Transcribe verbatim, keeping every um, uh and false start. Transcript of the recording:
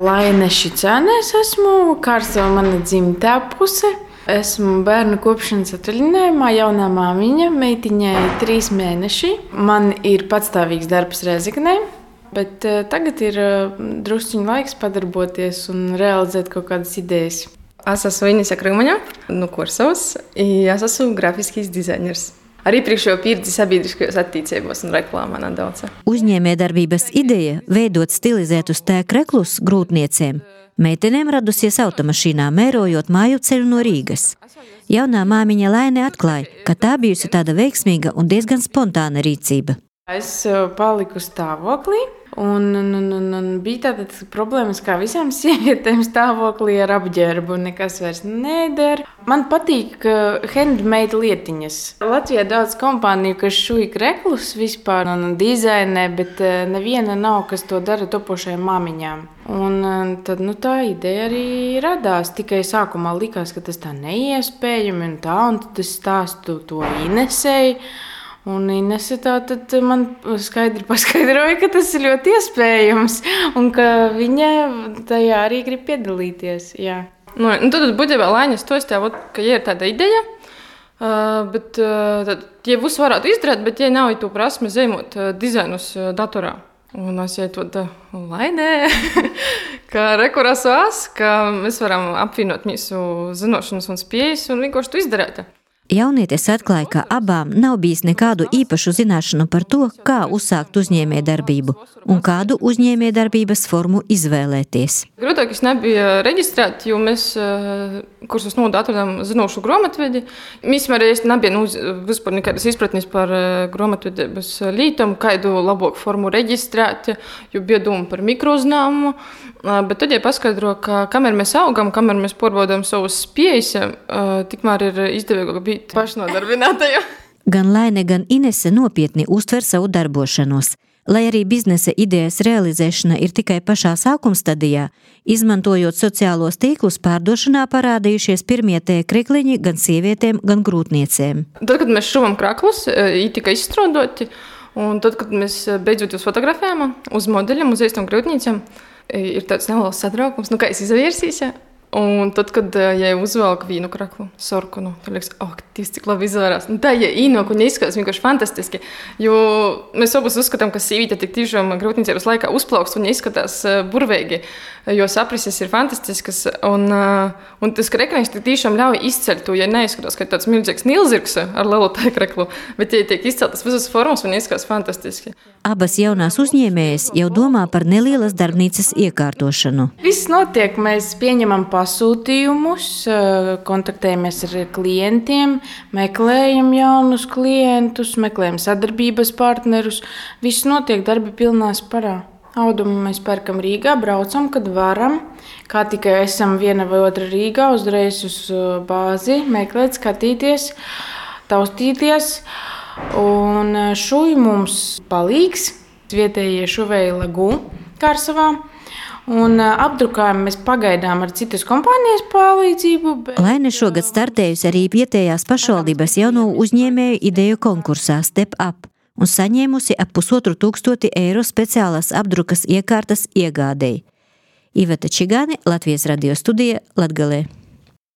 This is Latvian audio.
Laine Šicānē esmu, Kārsava mana dzimtā puse. Esmu bērnu kopšanas atvaļinājumā, jaunā māmiņa, meitiņai trīs mēneši. Man ir patstāvīgs darbs Rēzeknē, bet tagad ir drusciņu laiks padarboties un realizēt kaut kādas idejas. Es esmu Inese Krūmaņa no Kursavas, es esmu grafisks dizainers. Arī priekšējo pieredzi sabiedriskajos attīstībos un reklāmā nedaudz. Uzņēmējdarbības ideja veidot stilizētus tēkreklus grūtniecēm meitenēm radusies automašīnā, mērojot māju ceļu no Rīgas. Jaunā māmiņa Laine atklāja, ka tā bijusi tāda veiksmīga un diezgan spontāna rīcība. Es paliku stāvoklī. Un, un, un, un, un bija tāda problēmas, kā visām sievietēm stāvoklī ar apģērbu, nekas vairs neder. Man patīk handmade lietiņas. Latvijā daudz kompāniju, kas šuj kreklus vispār un dizainē, bet neviena nav, kas to dara topošajām māmiņām. Un tad nu, tā ideja arī radās. Tikai sākumā likās, ka tas tā neiespējami un tā, un tad es stāstu to Inesei. Un Inese tā tad man skaidri paskaidroja, ka tas ir ļoti iespējams un ka viņa tajā arī grib piedalīties. Jā. Nu, nu tad būtībā Laiņas to stāv, ka ja ir tāda ideja, uh, bet uh, tad, ja visu varētu izdarīt, bet ja nav to prasme zīmot uh, dizainus uh, datorā. Un es jau to Lainē, ka rekurās vās, ka mēs varam apvienot mūsu zinošanas un spējas un vienkārši to izdarīt. Jaunietis atklāja, ka abām nav bijis nekādu īpašu zināšanu par to, kā uzsākt uzņēmējdarbību un kādu uzņēmējdarbības formu izvēlēties. Grūtākais nebija reģistrēt, jo mēs kursus nodu atradām zinošu grāmatvedi. Mēs arī nebija nu, vispār nekādas izpratnes par grāmatvedības lītam, kādu labāku formu reģistrēt, jo bija doma par mikrouzņēmumu. Bet tad ja paskaidro, ka kamēr mēs augam, kamēr mēs pārbaudām savus spējas, tikmēr ir izdevīgāk būt pašnodarbinātajā. Gan Laine, gan Inese nopietni uztver savu darbošanos. Lai arī biznesa idejas realizēšana ir tikai pašā sākumstadijā, izmantojot sociālos tīklus, pārdošanā parādījušies pirmie tēkrekliņi gan sievietēm, gan grūtniecēm. Tad, kad mēs šuvam kraklus, viņi tika izstrādāti, un tad, kad mēs beidzot jūs fotografējām uz modeļiem, uz īstām grūtniecēm, ir tāds neliels satraukums, nu kā es izvērsīs, ja? Un tad, kad ja uzvelku vienu kraklu, sorkunu, tad liekas, oh, tīsti, cik labi izvērās. Nu, tā, ja īnāk un izskatās vienkārši fantastiski, jo mēs abas uzskatām, ka sīvīte tik tiešām grūtniecības laikā uzplaukst un izskatās burvīgi, jo saprises ir fantastiskas. Un, un tas krekliņš tik tiešām ļauj izceļt to, ja neizskatās, ka tāds milzīgs nilzirgs ar lielu tēkreklu, bet ja tiek izceltas visas formas un izskatās fantastiski. Abas jaunās uzņēmējas jau domā par nelielas darbnīcas iekārtošanu. Viss notiek, mēs pieņemam pasūtījumus, kontaktējamies ar klientiem, meklējam jaunus klientus, meklējam sadarbības partnerus. Viss notiek darbi pilnā sparā. Audumu mēs pērkam Rīgā, braucam, kad varam. Kā tikai esam viena vai otra Rīgā, uzreiz uz bāzi, meklēt, skatīties, taustīties. Un šuj mums palīgs, vietējie šuvēji Lagū Kārsavā. Un apdrukājumu mēs pagaidām ar citas kompānijas palīdzību. Bet... Laine šogad startējusi arī vietējās pašvaldības jauno uzņēmēju ideju konkursā Step Up un saņēmusi ap pusotru tūkstoti eiro speciālās apdrukas iekārtas iegādēji. Iveta Čigāne, Latvijas radio studija, Latgalē.